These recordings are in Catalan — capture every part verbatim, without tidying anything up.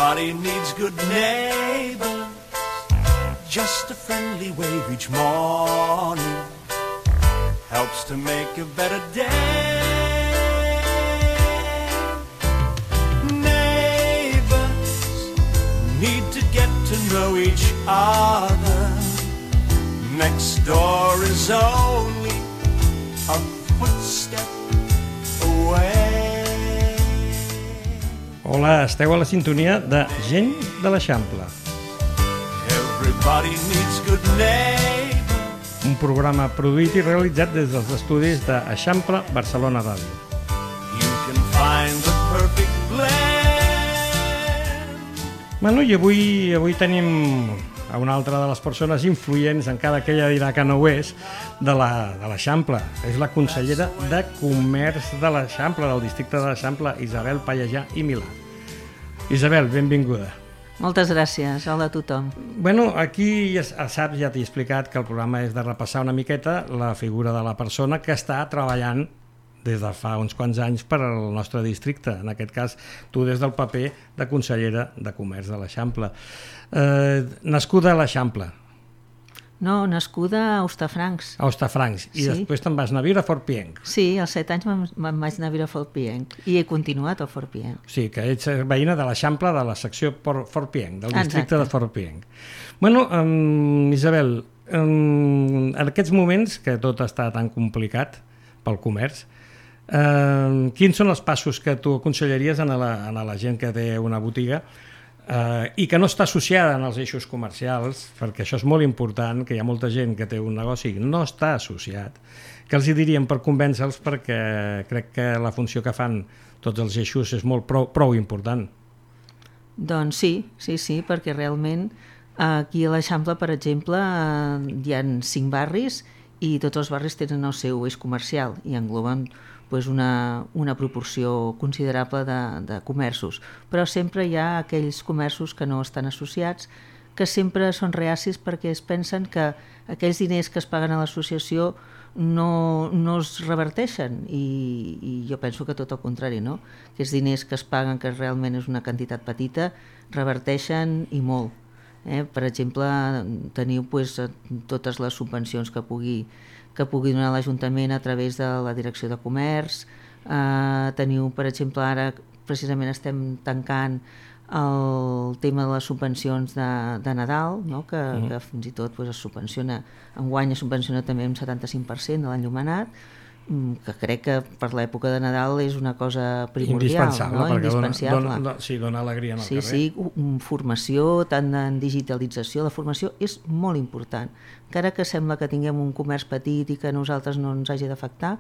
Everybody needs good neighbors. Just a friendly wave each morning helps to make a better day. Neighbors need to get to know each other. Next door is only a footstep away. Hola, esteu a la sintonia de Gent de l'Eixample. Everybody needs good neighbors. Un programa produït i realitzat des dels estudis de Eixample Barcelona Ràdio. You can find the perfect blend. Bueno, i avui, avui tenim a una altra de les persones influents, encara que ella dirà que no ho és, de l'Eixample. És la consellera de Comerç de l'Eixample, del districte de l'Eixample, Isabel Pallejà i Milà. Isabel, benvinguda. Moltes gràcies, hola a tothom. Bueno, aquí ja saps, ja t'he explicat que el programa és de repassar una miqueta la figura de la persona que està treballant des de fa uns quants anys per al nostre districte, en aquest cas tu des del paper de consellera de Comerç de l'Eixample. Eh, nascuda a l'Eixample. No, nascuda a Hostafrancs. A Hostafrancs, i Sí. després te'n vas anar a viure a Fort Pienc. Sí, als set anys me'n me'n vaig anar a viure a Fort Pienc i he continuat a Fort Pienc. O sigui, que ets veïna de l'Eixample de la secció Por- Fort Pienc, del districte Exacte. de Fort Pienc. Bueno, um, Isabel, um, en aquests moments que tot està tan complicat pel comerç, um, quins són els passos que tu aconsellaries a la, a la gent que té una botiga Uh, i que no està associada en els eixos comercials, perquè això és molt important, que hi ha molta gent que té un negoci que no està associat, que els hi diríem per convèncer-los, perquè crec que la funció que fan tots els eixos és molt prou, prou important. Doncs sí, sí, sí, perquè realment aquí a l'Eixample, per exemple, hi ha cinc barris i tots els barris tenen el seu eix comercial i engloben pues, una, una proporció considerable de, de comerços. Però sempre hi ha aquells comerços que no estan associats, que sempre són reacis perquè es pensen que aquells diners que es paguen a l'associació no, no es reverteixen i, i jo penso que tot el contrari, no? Aquests diners que es paguen, que realment és una quantitat petita, reverteixen i molt. Eh? Per exemple, teniu pues, totes les subvencions que pugui que pugui donar l'Ajuntament a través de la Direcció de Comerç. Eh, teniu, per exemple, ara precisament estem tancant el tema de les subvencions de, de Nadal, no? que, uh-huh. que fins i tot pues, es subvenciona, enguany es subvenciona també un setanta-cinc per cent de l'enllumenat, que crec que per l'època de Nadal és una cosa primordial, indispensable, no? perquè Indispensable. dona, dona, sí, dona alegria en el sí, carrer. Sí, formació, tant en digitalització, la formació és molt important. Encara que sembla que tinguem un comerç petit i que a nosaltres no ens hagi d'afectar,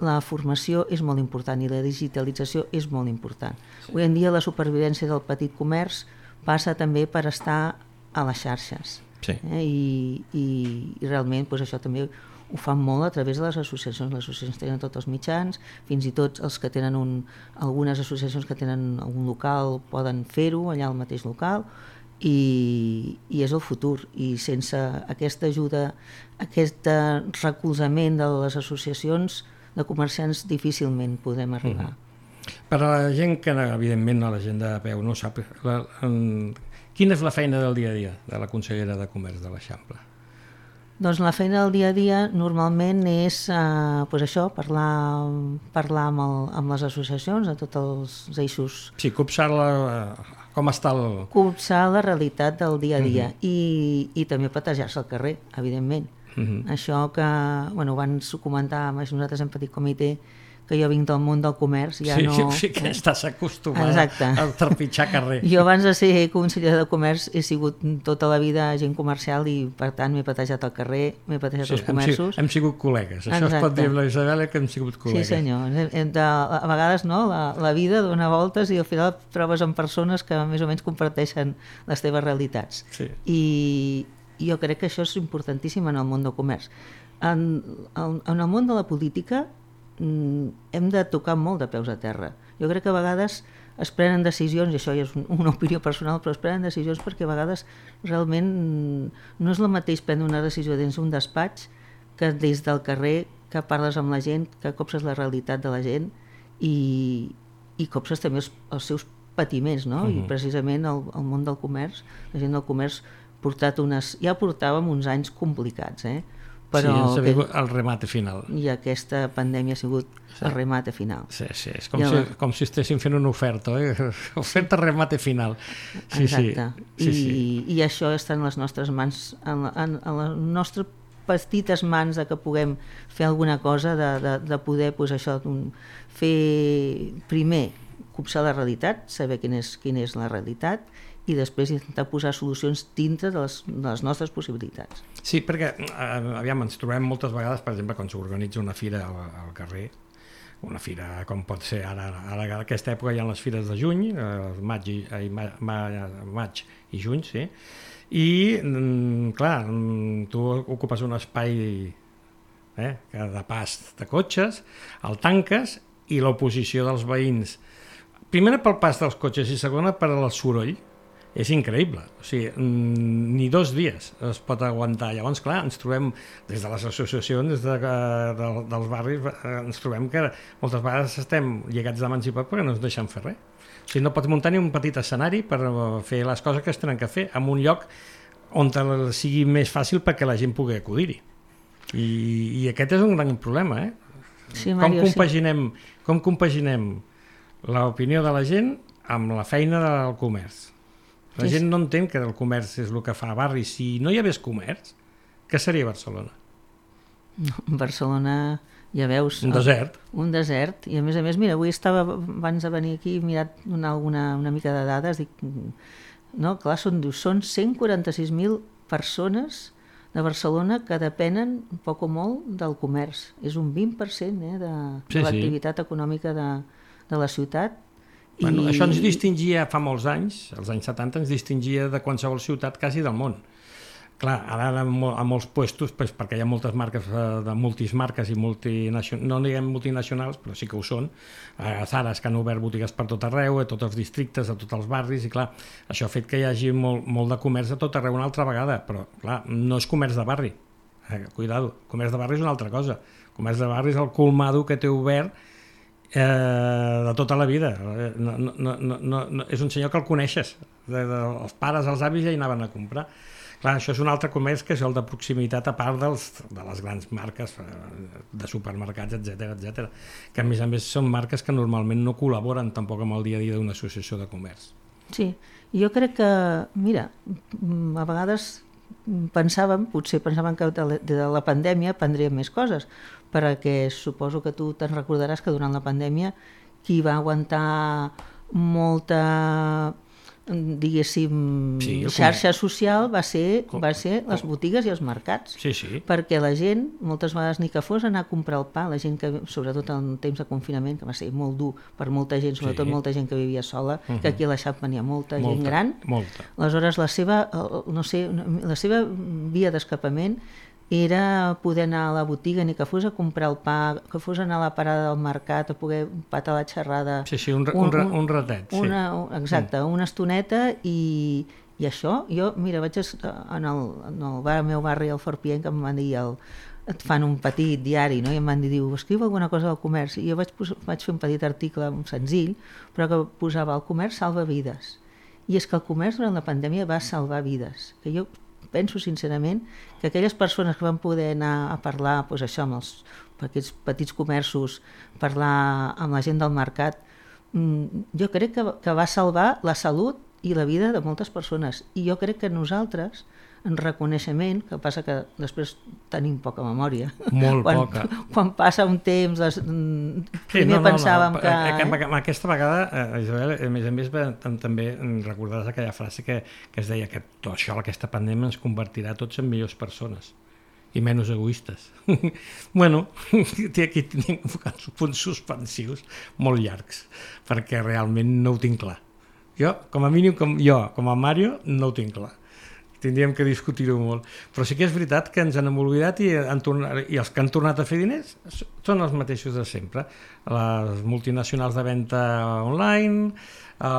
la formació és molt important i la digitalització és molt important. Sí. Avui en dia la supervivència del petit comerç passa també per estar a les xarxes. Sí. Eh? I, i, I realment pues, això també ho fan molt a través de les associacions. Les associacions tenen tots els mitjans, fins i tot els que tenen un, algunes associacions que tenen algun local poden fer-ho allà al mateix local i, i és el futur. I sense aquesta ajuda, aquest recolzament de les associacions de comerciants difícilment podem arribar. Mm. Per a la gent que, evidentment, a la gent de peu no sap, la, en, quina és la feina del dia a dia de la consellera de Comerç de l'Eixample? Doncs la feina del dia a dia normalment és eh, pues això, parlar, parlar amb, el, amb les associacions, de tots els eixos. Sí, copsar-la, com està el... Copsar la realitat del dia a dia uh-huh. i, i també patejar-se al carrer, evidentment. Uh-huh. Això que, bueno, abans ho comentàvem, nosaltres en petit comitè, que jo vinc del món del comerç, ja sí, no... Sí, que estàs acostumada Exacte. a trepitjar carrer. Jo abans de ser consellera de comerç he sigut tota la vida agent comercial i per tant m'he patejat al carrer, m'he patejat sí, als comerços. Hem, hem sigut col·legues, això Exacte. Es pot dir la Isabel que hem sigut col·legues. Sí senyor, de, a vegades no, la, la vida dona voltes i al final trobes amb persones que més o menys comparteixen les teves realitats. Sí. I, i jo crec que això és importantíssim en el món del comerç. En, en, en el món de la política hem de tocar molt de peus a terra. Jo crec que a vegades es prenen decisions, i això ja és una opinió personal, però es prenen decisions perquè a vegades realment no és el mateix prendre una decisió dins un despatx que des del carrer, que parles amb la gent, que copses la realitat de la gent i, i copses també els, els seus patiments, no? Uh-huh. I precisament el, el món del comerç, la gent del comerç portat unes, ja portàvem uns anys complicats, eh? Però sí, que, el remate final. I aquesta pandèmia ha sigut sí. el remate final. Sí, sí, és com, si, com si estéssim fent una oferta, eh? Oferta remate final. Sí, exacte. Sí, I, sí, sí. I això està en les nostres mans, en, en, en les nostres petites mans de que puguem fer alguna cosa, de, de, de poder pues, això, fer primer copsar la realitat, saber quina és, quina és la realitat, i després intentar posar solucions dintre de les, de les nostres possibilitats. Sí, perquè, eh, aviam, ens trobem moltes vegades, per exemple, quan s'organitza una fira al, al carrer, una fira com pot ser ara, ara a aquesta època hi ha les fires de juny, eh, maig, i, eh, ma, ma, maig i juny, sí, i, mm, clar, tu ocupes un espai eh, de pas de cotxes, el tanques, i l'oposició dels veïns, primera pel pas dels cotxes i segona per al soroll, és increïble, o sigui, ni dos dies es pot aguantar. Llavors, clar, ens trobem, des de les associacions, des de, de, dels barris, ens trobem que moltes vegades estem lligats de mans i peus perquè no ens deixen fer res. O sigui, no pots muntar ni un petit escenari per fer les coses que es tenen que fer en un lloc on sigui més fàcil perquè la gent pugui acudir-hi. I, i aquest és un gran problema, eh? Sí, Mario, com compaginem, sí. Com compaginem l'opinió de la gent amb la feina del comerç? La sí, gent no entén que el comerç és el que fa a barri. Si no hi hagués comerç, què seria Barcelona? Barcelona, ja veus... Un desert. El, un desert. I a més a més, mira, avui estava, abans de venir aquí, he mirat una, alguna, una mica de dades, dic, no, clar, són, són cent quaranta-sis mil persones de Barcelona que depenen, poc o molt, del comerç. És un vint per cent eh, de, sí, de l'activitat sí. econòmica de, de la ciutat. Bueno, I... Això ens distingia fa molts anys, als anys setanta, ens distingia de qualsevol ciutat quasi del món. Clar, ara a molts puestos, pues, perquè hi ha moltes marques de multismarques i multinacionals, no diguem multinacionals, però sí que ho són, a Zares que han obert botigues per tot arreu, a tots els districtes, a tots els barris, i clar, això ha fet que hi hagi molt, molt de comerç a tot arreu una altra vegada, però clar, no és comerç de barri, eh, cuidado, comerç de barri és una altra cosa, comerç de barri és el colmado que té obert Eh, de tota la vida. No, no, no, no, no, és un senyor que el coneixes, de, de, els pares, els avis ja hi anaven a comprar. Clar, això és un altre comerç que és el de proximitat, a part dels, de les grans marques de supermercats, etcètera, etcètera, que a més a més són marques que normalment no col·laboren tampoc amb el dia a dia d'una associació de comerç. Sí, jo crec que, mira, a vegades pensàvem, potser pensàvem que de la pandèmia prendríem més coses, perquè suposo que tu te'n recordaràs que durant la pandèmia qui va aguantar molta, diguéssim, sí, xarxa social va ser, com, va ser les botigues i els mercats. Sí, sí. Perquè la gent, moltes vegades ni que fos anar a comprar el pa, la gent que, sobretot en temps de confinament, que va ser molt dur per molta gent, sobretot sí. molta gent que vivia sola, uh-huh. que aquí a l'Eixample n'hi ha molta, molta gent gran. Molta. Aleshores, la seva, no sé, la seva via d'escapament era poder anar a la botiga, ni que fos a comprar el pa, que fos anar a la parada del mercat, a poder patar la xerrada. Sí, sí, un, un, un, un ratet. Sí. Una, exacte, mm. una estoneta i, i això. Jo, mira, vaig en el, en el, bar, el meu barri, el Fort Pienc, que em van dir, el, et fan un petit diari, no? I em van dir, diu, escriu alguna cosa del comerç. I jo vaig, vaig fer un petit article senzill, però que posava el comerç salva vides. I és que el comerç durant la pandèmia va salvar vides. Que jo penso sincerament que aquelles persones que van poder anar a parlar doncs això, amb els, aquests petits comerços, parlar amb la gent del mercat, jo crec que, que va salvar la salut i la vida de moltes persones. I jo crec que nosaltres, en reconeixement, que passa que després tenim poca memòria. Molt quan, poca. Quan passa un temps, les, sí, primer no, no, pensàvem no. que... Eh? Aquesta vegada, eh, Isabel, a més a més, també recordaràs aquella frase que, que es deia que tot això, aquesta pandèmia, ens convertirà tots en millors persones i menys egoistes. Bueno, aquí tinc punts suspensius molt llargs, perquè realment no ho tinc clar. Jo, com a mínim, com jo, com a Mario, no ho tinc clar. Tindríem que discutir-ho molt. Però sí que és veritat que ens han oblidat i, han tornat, i els que han tornat a fer diners són els mateixos de sempre. Les multinacionals de venda online, eh,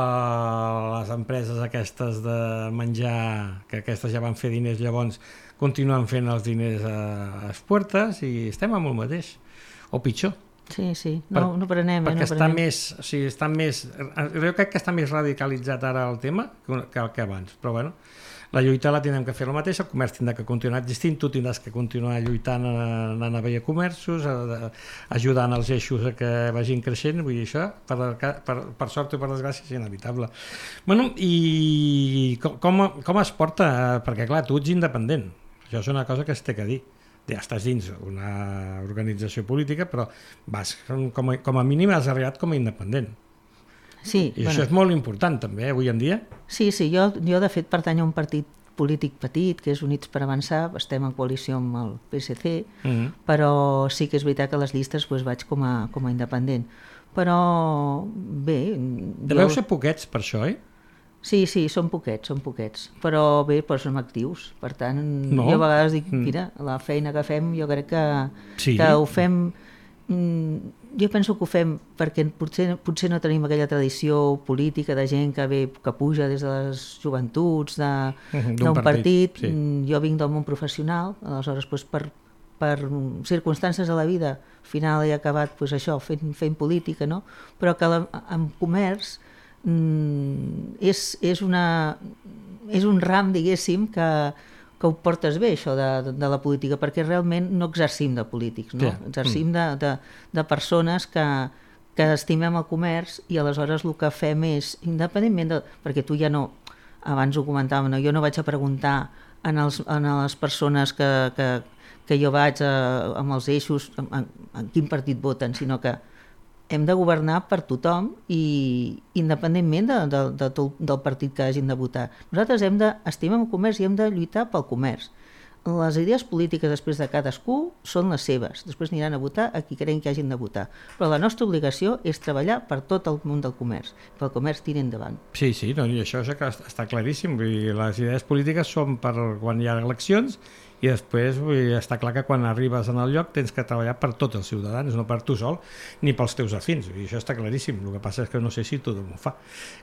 les empreses aquestes de menjar, que aquestes ja van fer diners, llavors continuen fent els diners a les puertes i estem amb el mateix, o pitjor. Sí, sí, no, no prenem. Perquè eh, no està prenem. més, o sigui, està més... Jo crec que està més radicalitzat ara el tema que, que abans, però bueno, la lluita la tindrem que fer el mateix, el comerç tindrà que continuar existint, tu tindràs que continuar lluitant anant a veure comerços, a, a, ajudant els eixos a que vagin creixent, vull dir, això, per, per, per sort o per desgràcia, és inevitable. Bueno, i com, com, com es porta? Perquè, clar, tu ets independent, això és una cosa que es té que dir. Ja estàs dins una organització política, però vas, com a, com a mínim has arribat com a independent. Sí, I bueno, això és molt important també, eh, avui en dia. Sí, sí, jo, jo de fet pertany a un partit polític petit, que és Units per Avançar, estem en coalició amb el P S C, Mm-hmm. però sí que és veritat que a les llistes doncs, vaig com a, com a independent. Però bé... Deveu ser poquets per això, eh? Sí, sí, són poquets, són poquets, però bé, però som actius, per tant, No. jo a vegades dic, Mm. mira, la feina que fem, jo crec que, Sí. que ho fem, mm, jo penso que ho fem perquè potser, potser no tenim aquella tradició política de gent que ve, que puja des de les joventuts, de, Mhm, d'un d'un partit, partit, sí. Mm, jo vinc del món professional, aleshores doncs, per, per circumstàncies de la vida, al final he acabat doncs, això, fent, fent política, no? Però que la, en comerç mm, és, és, una, és un ram, diguéssim, que, que ho portes bé, això de, de, de la política, perquè realment no exercim de polítics, no? Ja. Exercim de, de, de persones que, que estimem el comerç i aleshores el que fem és, independentment de... perquè tu ja no, abans ho comentàvem, no? Jo no vaig a preguntar en, els, en les persones que, que, que jo vaig a, amb els eixos, en, en, en quin partit voten, sinó que hem de governar per tothom i independentment de, de, de tot, del partit que hagin de votar. Nosaltres hem d'estimar el comerç i hem de lluitar pel comerç. Les idees polítiques després de cadascú són les seves. Després aniran a votar a qui creuen que hagin de votar. Però la nostra obligació és treballar per tot el món del comerç. Pel comerç tira endavant. Sí, sí, no, i això és que està claríssim. Vull dir, les idees polítiques són per quan hi ha eleccions i després vull dir, està clar que quan arribes en el lloc tens que treballar per tots els ciutadans, no per tu sol ni pels teus afins, i això està claríssim. El que passa és que no sé si tothom ho fa,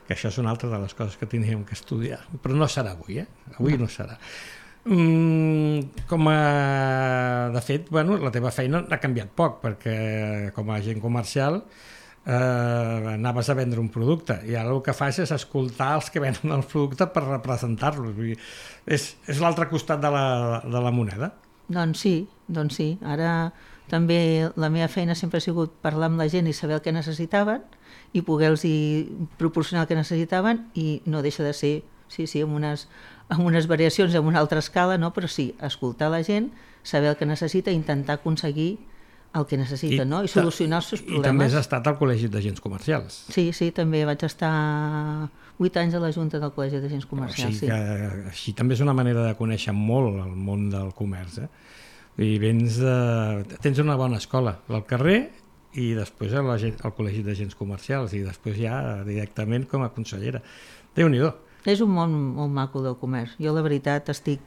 que això és una altra de les coses que tindríem que estudiar, però no serà avui, eh? Avui no serà. Mm, com a... De fet, bueno, la teva feina ha canviat poc, perquè com a agent comercial eh, anaves a vendre un producte i ara el que fas és escoltar els que venen el producte per representar-los. Vull dir, és, és l'altre costat de la, de la moneda. Doncs sí, doncs sí. Ara també la meva feina sempre ha sigut parlar amb la gent i saber el que necessitaven i poder-los proporcionar el que necessitaven, i no deixa de ser, sí, sí, amb unes, amb unes variacions, amb una altra escala, no? Però sí, escoltar la gent, saber el que necessita i intentar aconseguir el que necessita, I, no? I solucionar els seus problemes. I també has estat al Col·legi d'Agents Comercials. Sí, sí, també vaig estar vuit anys a la Junta del Col·legi d'Agents Comercials. O sigui que sí. Així també és una manera de conèixer molt el món del comerç, eh? I vens de... tens una bona escola al carrer i després al Col·legi d'Agents Comercials i després ja directament com a consellera. Déu-n'hi-do. És un món molt maco del comerç. Jo la veritat estic...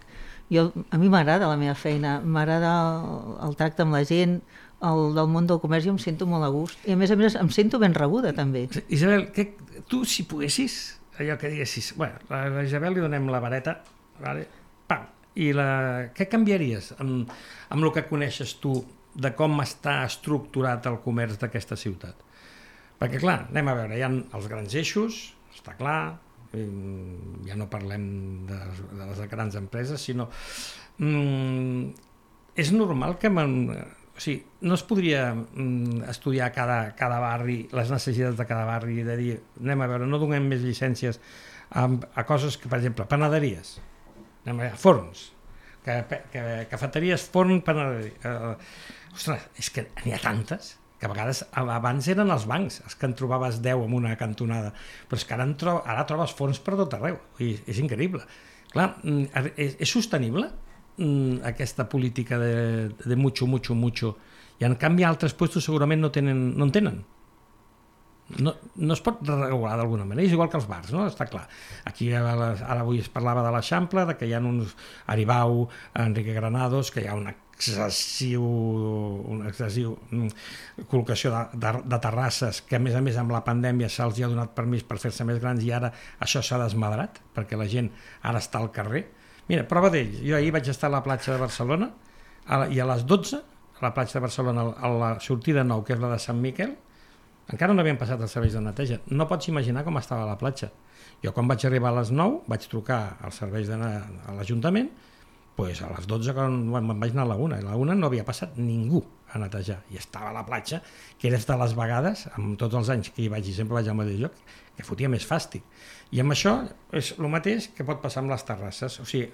Jo, a mi m'agrada la meva feina, m'agrada el, el tracte amb la gent, el del món del comerç, jo em sento molt a gust. I a més a més em sento ben rebuda també. Isabel, que, tu si poguessis, allò que diguessis, bueno, a la Isabel li donem la vareta, vale? Pam, i la... què canviaries amb, amb el que coneixes tu de com està estructurat el comerç d'aquesta ciutat? Perquè clar, anem a veure, hi ha els grans eixos, està clar, ja no parlem de, de les grans empreses, sinó mm, és normal que man, o sigui, no es podria mm, estudiar cada, cada barri, les necessitats de cada barri i de dir, anem a veure, no donem més llicències a, a coses que, per exemple, panaderies, anem a veure, forns, que, que, cafeteries, forn, panaderia. Uh, ostres, és que n'hi ha tantes que a vegades abans eren els bancs els que en trobaves deu en una cantonada, però és que ara, tro ara trobes fons per tot arreu, i és increïble. Clar, és, és sostenible aquesta política de, de mucho, mucho, mucho, i en canvi altres puestos segurament no, tenen, no en tenen. No, no es pot regular d'alguna manera, és igual que els bars, no? Està clar. Aquí ara avui es parlava de l'Eixample, de que hi ha uns Aribau, Enrique Granados, que hi ha una excessiu, una excessiu col·locació de, de, de terrasses que a més a més amb la pandèmia se'ls ha donat permís per fer-se més grans i ara això s'ha desmadrat perquè la gent ara està al carrer. Mira, prova d'ell, jo ahir vaig estar a la platja de Barcelona a, i a les dotze a la platja de Barcelona, a la sortida nou, que és la de Sant Miquel, encara no havien passat els serveis de neteja. No pots imaginar com estava la platja. Jo quan vaig arribar a les nou vaig trucar als serveis de a l'Ajuntament, pues a les dotze quan me'n vaig anar a la una, a la una no havia passat ningú a netejar, i estava a la platja, que era de les vegades, amb tots els anys que hi vaig i sempre vaig al mateix lloc, que fotia més fàstic. I amb això és el mateix que pot passar amb les terrasses, o sigui,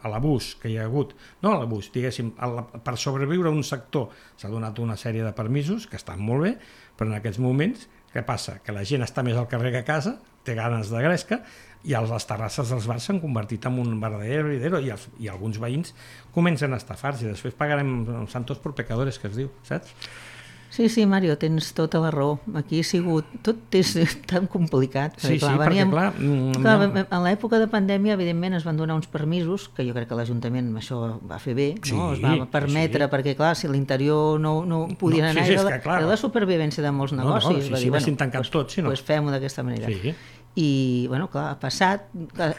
l'abús que hi ha hagut, no l'abús, diguéssim, el, per sobreviure a un sector s'ha donat una sèrie de permisos que estan molt bé, però en aquests moments, què passa? Que la gent està més al carrer que a casa, té ganes de gresca, i les terrasses dels bars s'han convertit en un verdadero heredero, i, els, i alguns veïns comencen a estafar-se, i després pagarem santos por pecadores, que es diu, saps? Sí, sí, Mario, tens tota la raó. Aquí ha sigut... Tot és tan complicat. Sí, clar, sí, veníem, perquè clar... Mm, clar no. En l'època de pandèmia, evidentment, es van donar uns permisos, que jo crec que l'Ajuntament això va fer bé, sí, no? Es va permetre, sí. Perquè clar, si l'interior no, no podien no, anar... Sí, sí, era, la, era la supervivència de molts negocis. No, no, sí, va sí, dir, bueno, tancat pues, tot, sí, no? Pues fem-ho d'aquesta manera. Sí. I, bueno, clar, ha passat,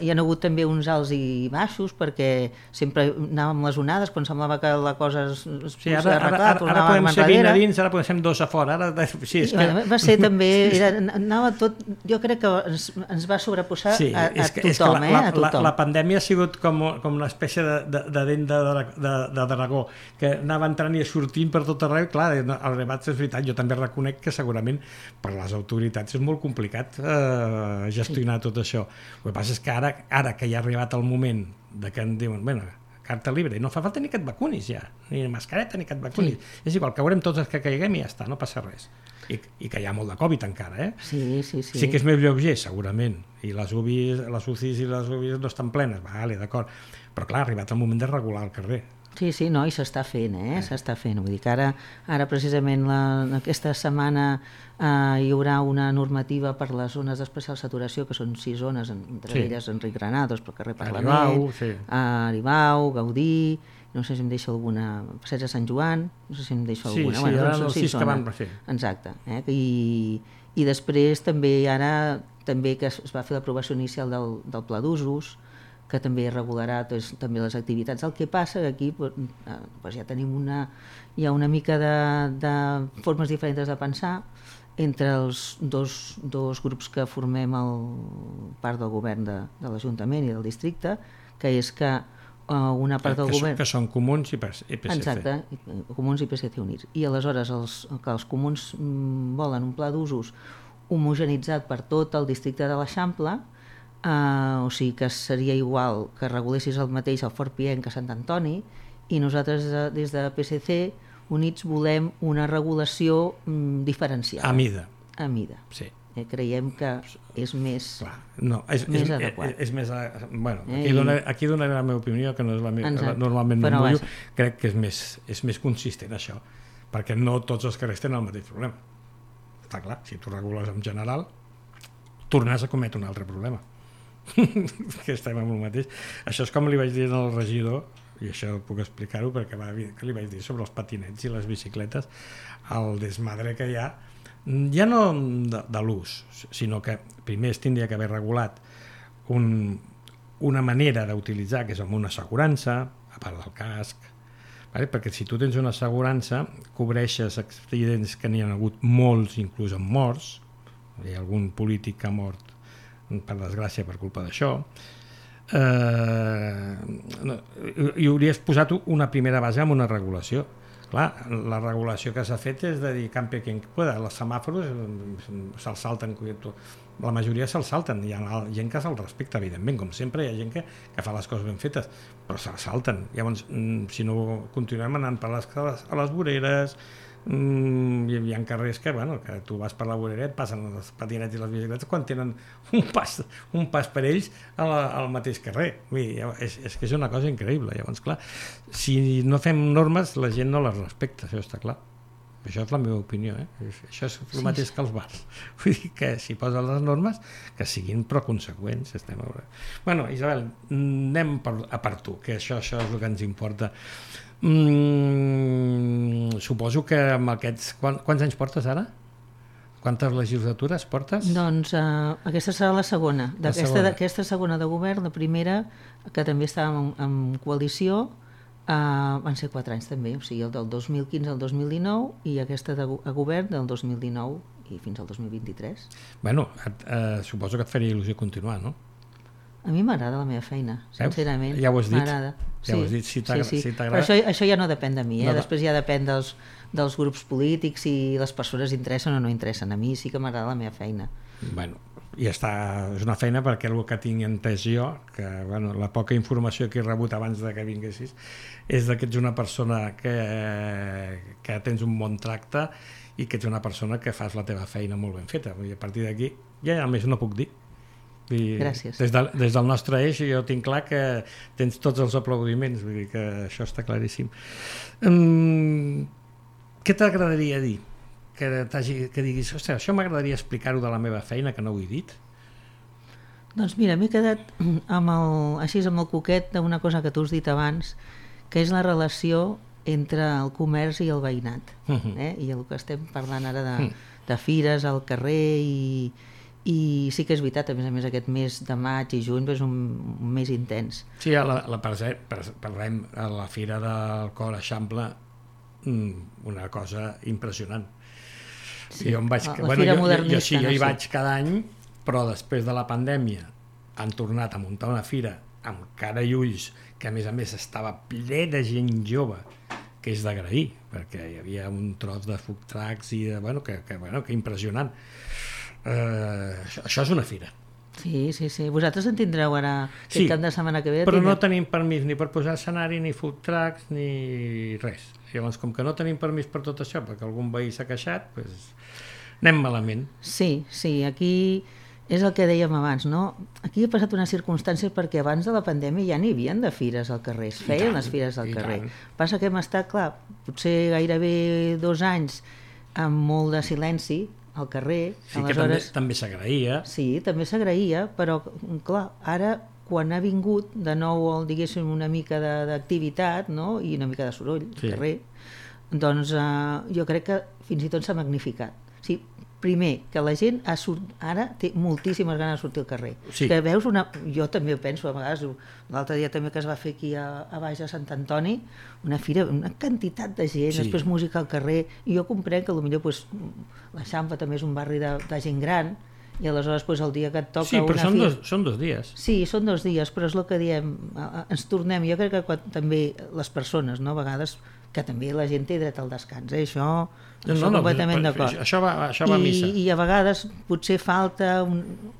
hi ha hagut també uns alts i baixos, perquè sempre anàvem amb les onades, quan semblava que la cosa es, es sí, ara, ara, ara, ara podem ser vint a dins, ara podem ser dos a fora, ara, sí, és que... Va ser també, era, anava tot, jo crec que ens, ens va sobreposar sí, a, a que, tothom, la, eh, a tothom. La, la pandèmia ha sigut com, com una espècie de, de, de dent de, de, de dragó, que anava entrant i sortint per tot arreu, clar, el rebat és veritat, jo també reconec que segurament per les autoritats és molt complicat eh, gestionar sí. Tot això. El que passa és que ara, ara que ja ha arribat el moment de que en diuen, bueno, carta libre, no fa falta ni que et vacunis ja, ni mascareta ni que et vacunis. Sí. És igual, caurem tots els que caiguem i ja està, no passa res. I, i que hi ha molt de Covid encara, eh? Sí, sí, sí. Sí que és més lleuger, segurament, i les U B Is, les U C Is i les U B Is no estan plenes, vale, d'acord, però clar, ha arribat el moment de regular el carrer. Sí, sí, no, i s'està fent, eh? S'està fent. Vull dir que ara, ara precisament la, aquesta setmana eh, hi haurà una normativa per les zones d'especial saturació, que són sis zones, entre sí. elles Enric Granados, pel carrer Parlament, Aribau, sí. Aribau, Gaudí, no sé si em deixo alguna, Passeig de Sant Joan, no sé si em deixo sí, alguna. Sí, bueno, ara els sis que van fer. Exacte. Eh? I, I després també ara, també que es va fer l'aprovació inicial del, del Pla d'Usos, que també regularà doncs, també les activitats. El que passa que aquí doncs, ja tenim una, hi ha una mica de, de formes diferents de pensar entre els dos, dos grups que formem el part del govern de, de l'Ajuntament i del districte, que és que uh, una part del que govern... Que són comuns i P S C. Exacte, comuns i P S C units. I aleshores els, que els comuns volen un pla d'usos homogenitzat per tot el districte de l'Eixample. Uh, o sigui que seria igual que regulessis el mateix al Fort Pienc que Sant Antoni, i nosaltres des de P S C Units volem una regulació mm, diferenciada. A mida. A mida. Sí. Eh, creiem que és més, clar, no, és, més és, adequat. És, és més, bueno, aquí, eh, donaré, aquí donaré la meva opinió, que no és la meva, normalment no em mullo, crec que és més, és més consistent això, perquè no tots els carrers tenen el mateix problema. Està clar, si tu regules en general, tornes a cometre un altre problema. Que estem amb el mateix. Això és com li vaig dir al regidor, i això puc explicar-ho perquè va, que li vaig dir sobre els patinets i les bicicletes, el desmadre que hi ha, ja no de, de l'ús, sinó que primer es tindria que haver regulat un, una manera d'utilitzar, que és amb una assegurança, a part del casc, vale? Perquè si tu tens una assegurança, cobreixes accidents que n'hi ha hagut molts, inclús amb morts, hi ha algun polític que ha mort per desgràcia per culpa d'això, eh, no, i hauries posat una primera base amb una regulació. Clar, la regulació que s'ha fet és de dir campi quien pueda, els semàfors se'ls salten, la majoria se'ls salten, hi ha gent que se'ls respecta, evidentment, com sempre hi ha gent que, que fa les coses ben fetes, però se'ls salten. Llavors, si no continuem anant per les, a les voreres, Mm, hi ha carrers que, bueno, que tu vas per la vorera, et passen els patinets i les bicicletes quan tenen un pas, un pas per ells a la, al mateix carrer. Vull dir, és, és que és una cosa increïble. Llavors, clar, si no fem normes, la gent no les respecta, això està clar. Això és la meva opinió, eh? Això és el mateix que els bars. Vull dir que si posen les normes, que siguin però conseqüents. Estem a veure. Bueno, Isabel, anem per, a per tu, que això, això és el que ens importa. Mm, suposo que amb aquests... Quant, quants anys portes ara? Quantes legislatures portes? Doncs uh, aquesta serà la segona. D'aquesta segona. segona de govern, la primera, que també estàvem en, en coalició, Uh, van ser quatre anys també, o sigui, el del dos mil quinze al dos mil dinou i aquesta de, a govern del dos mil dinou i fins al dos mil vint-i-tres. Bueno, et, eh, suposo que et faria il·lusió continuar, no? A mi m'agrada la meva feina, sincerament. Ja ho has dit. M'agrada. Ja ho has dit, si t'agrada. Sí, sí. Si Però això, això ja no depèn de mi, eh? No, no. Després ja depèn dels, dels grups polítics, si les persones interessen o no interessen. A mi sí que m'agrada la meva feina. Bueno, i està, és una feina perquè el que tinc entès jo, que bueno, la poca informació que he rebut abans de que vinguessis, és que ets una persona que, que tens un bon tracte i que ets una persona que fas la teva feina molt ben feta. I a partir d'aquí ja més no puc dir. I Gràcies. Des, de, des del nostre eix jo tinc clar que tens tots els aplaudiments, vull dir que això està claríssim. Um, què t'agradaria dir? Que, que diguis, ostres, això m'agradaria explicar-ho de la meva feina, que no ho he dit? Doncs mira, m'he quedat amb el, així amb el coquet d'una cosa que tu has dit abans, que és la relació entre el comerç i el veïnat. Uh-huh. eh? I el que estem parlant ara de, uh-huh. de fires al carrer i, i sí que és veritat, a més a més aquest mes de maig i juny és un, un mes intens. Sí, a la, la, parlem a la Fira del Cor Eixample, una cosa impressionant. Sí, jo em vaig, la, la bueno, Fira jo, Modernista. Jo, jo sí, jo no hi sé. vaig cada any, però després de la pandèmia han tornat a muntar una fira amb cara i ulls, que a més a més estava ple de gent jove, que és d'agrair, perquè hi havia un tros de food trucks i de, bueno, que, que, bueno, que impressionant. Uh, això, això és una fira. Sí, sí, sí. Vosaltres en tindreu ara aquest Sí, cap de setmana que ve. però tindreu... no tenim permís ni per posar escenari, ni food trucks, ni res. Llavors, com que no tenim permís per tot això, perquè algun veí s'ha queixat, doncs anem malament. Sí, sí, aquí és el que dèiem abans, no? Aquí ha passat una circumstància perquè abans de la pandèmia ja n'hi havien de fires al carrer, es feien tant, les fires al i carrer. tant. Passa que hem estat, clar, potser gairebé dos anys amb molt de silenci al carrer. Sí que Aleshores, també, també s'agraïa. sí, també s'agraïa, però clar, ara quan ha vingut de nou el, diguéssim, una mica de- d'activitat, no? I una mica de soroll al Sí. carrer, doncs eh, jo crec que fins i tot s'ha magnificat. O sigui, primer, que la gent ha sort... ara té moltíssimes ganes de sortir al carrer. Sí. Que veus una... Jo també ho penso a vegades, l'altre dia també que es va fer aquí a, a baix a Sant Antoni, una fira, una quantitat de gent, Sí. després música al carrer, i jo comprenc que potser pues, l'Eixample també és un barri de, de gent gran, i aleshores pues, el dia que et toca Sí, però una són fira... dos, són dos dies. Sí, són dos dies, però és el que diem, eh, ens tornem, jo crec que quan, també les persones, no, a vegades, que també la gent té dret al descans, eh? això, No, això no, completament però- d'acord. això va- això va a I, missa. I a vegades potser falta, un,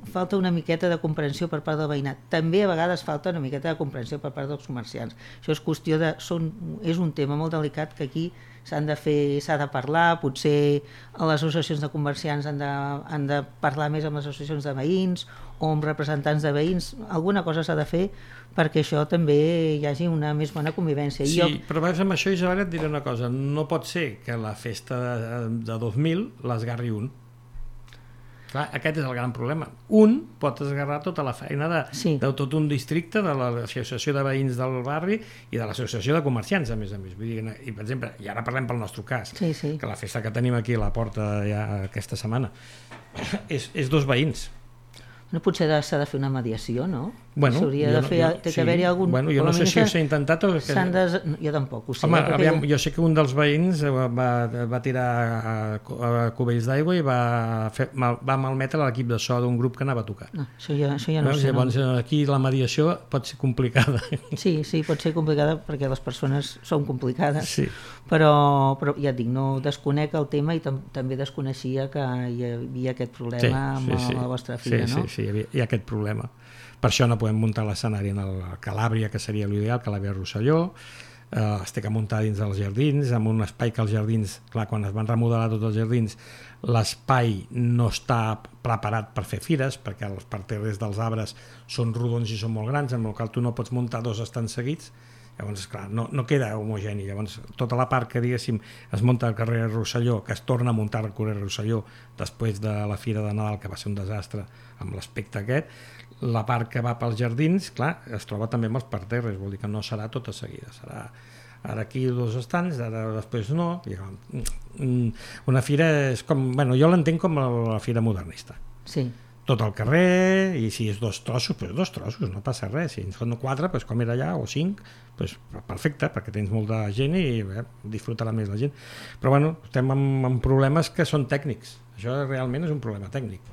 falta una miqueta de comprensió per part del veïnat. També a vegades falta una miqueta de comprensió per part dels comerciants. Això és qüestió de... Són, és un tema molt delicat que aquí s'han de fer, s'ha de parlar, potser a les associacions de comerciants han de, han de parlar més amb les associacions de veïns o amb representants de veïns, alguna cosa s'ha de fer perquè això també hi hagi una més bona convivència. Sí, I jo, però veus, amb això, Isabel, et diré una cosa. No pot ser que la festa de, de dos mil l'esgarri un. Clar, aquest és el gran problema. Un pot esgarrar tota la feina de, Sí. de tot un districte, de l'associació de veïns del barri i de l'associació de comerciants, a més a més. Vull dir, i, per exemple, i ara parlem pel nostre cas, Sí, sí. que la festa que tenim aquí a la porta ja aquesta setmana és, és dos veïns. no, potser de- s'ha de fer una mediació, no? Bueno, S'hauria jo de no- fer, jo- té que sí. haver-hi algun... Bueno, jo com a no sé mínim si s'ha- s'ha intentat o... Que... s'han de... no, jo tampoc ho sé. Home, eh, perquè aviam, jo- jo sé que un dels veïns va, va tirar a, a cubells d'aigua i va, fer, mal, va malmetre l'equip de so d'un grup que anava a tocar. No, això ja, això ja no ho Veus? sé. Llavors, No. aquí la mediació pot ser complicada. Sí, sí, pot ser complicada perquè les persones són complicades, Sí. però, però ja et dic, no desconec el tema i tam també desconeixia que hi havia aquest problema amb la vostra filla, sí, no? Sí, sí, hi, havia, hi ha aquest problema. Per això no podem muntar l'escenari en el Calàbria, que seria l'ideal, Calàbria Rosselló, eh, es té que muntar dins dels jardins, amb un espai que els jardins, clar, quan es van remodelar tots els jardins, l'espai no està preparat per fer fires, perquè els parterres dels arbres són rodons i són molt grans, amb el qual tu no pots muntar dos estants seguits. Llavors, clar, no, no queda homogeni. Llavors, tota la part que, diguéssim, es munta al carrer Rosselló, que es torna a muntar al carrer Rosselló després de la Fira de Nadal, que va ser un desastre amb l'aspecte aquest, la part que va pels jardins, clar, es troba també amb els parterres, vol dir que no serà tota seguida, serà ara aquí dos estants, ara després no. I, una fira és com... Bueno, jo l'entenc com la fira modernista. Sí. tot el carrer, i si és dos trossos, doncs dos trossos, no passa res. Si en són quatre, doncs com era allà, o cinc, doncs perfecte, perquè tens molta gent i eh, disfrutarà més la gent. Però bueno, estem amb, amb problemes que són tècnics. Això realment és un problema tècnic.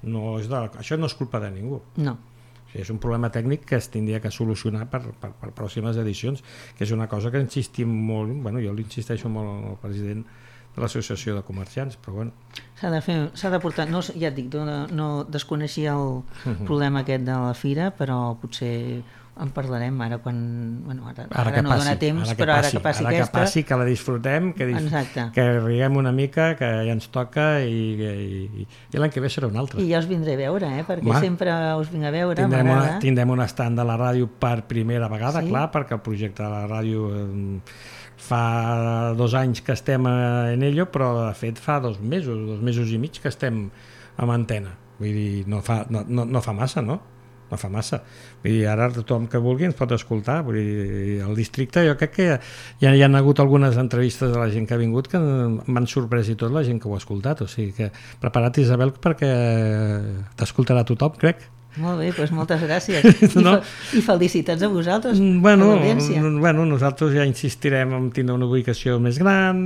No és de, això no és culpa de ningú. No. O sigui, és un problema tècnic que es tindria que solucionar per, per, per pròximes edicions, que és una cosa que insistim molt, bueno, jo l'insisteixo molt al president de l'associació de comerciants, però bueno. S'ha de fer, s'ha de portar, no, ja et dic, no, no desconeixia el uh-huh. problema aquest de la fira, però potser en parlarem ara quan, bueno, ara, ara, ara no passi, dona temps, ara però passi, ara que passi ara aquesta... que passi, que la disfrutem, que, dis... que riguem una mica, que ja ens toca i, i, i l'any que ve serà un altre. I ja us vindré a veure, eh? Perquè Home, sempre us vinc a veure, tindrem m'agrada. Una, tindrem un estand de la ràdio per primera vegada, sí? clar, perquè el projecte de la ràdio... Eh, fa dos anys que estem en ello, però de fet fa dos mesos, dos mesos i mig que estem amb antena. Vull dir, no fa, no, no, no fa massa, no? No fa massa. Vull dir, ara tothom que vulgui ens pot escoltar. Vull dir, al districte jo crec que ja hi ha hagut algunes entrevistes de la gent que ha vingut que m'han sorprès i tot la gent que ho ha escoltat. O sigui que prepara't, Isabel, perquè t'escoltarà tothom, crec. Molt bé, doncs moltes gràcies. I, no? I felicitats a vosaltres, bueno, a l'audiència. Bueno, nosaltres ja insistirem en tindre una ubicació més gran,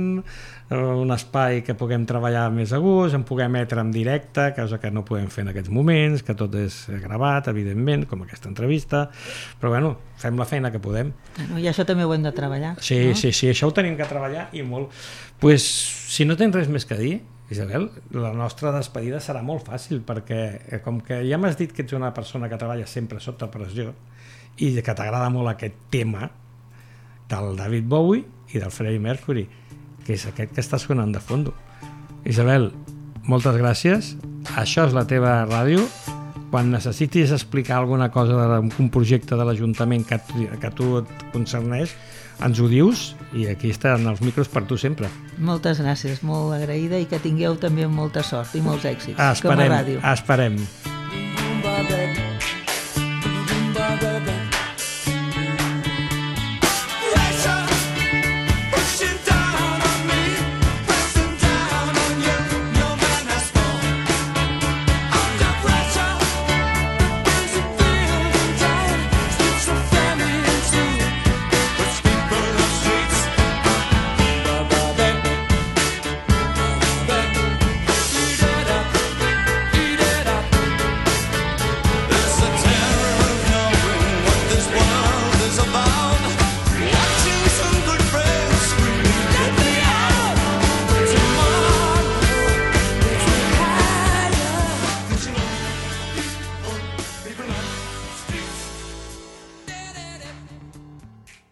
un espai que puguem treballar més a gust, en puguem emetre en directe, cosa que no podem fer en aquests moments, que tot és gravat, evidentment, com aquesta entrevista, però bueno, fem la feina que podem. Bueno, I això també ho hem de treballar. Sí, no? sí, sí, això ho tenim que treballar i molt. Pues, si no tens res més que dir, Isabel, la nostra despedida serà molt fàcil perquè com que ja m'has dit que ets una persona que treballa sempre sota pressió i que t'agrada molt aquest tema del David Bowie i del Freddie Mercury, que és aquest que està sonant de fondo. Isabel, moltes gràcies. Això és la teva ràdio. Quan necessitis explicar alguna cosa d'un projecte de l'Ajuntament que, que a tu et concerneix, ens ho dius i aquí estan els micros per tu sempre. Moltes gràcies, molt agraïda i que tingueu també molta sort i molts èxits esperem, com a ràdio. Esperem.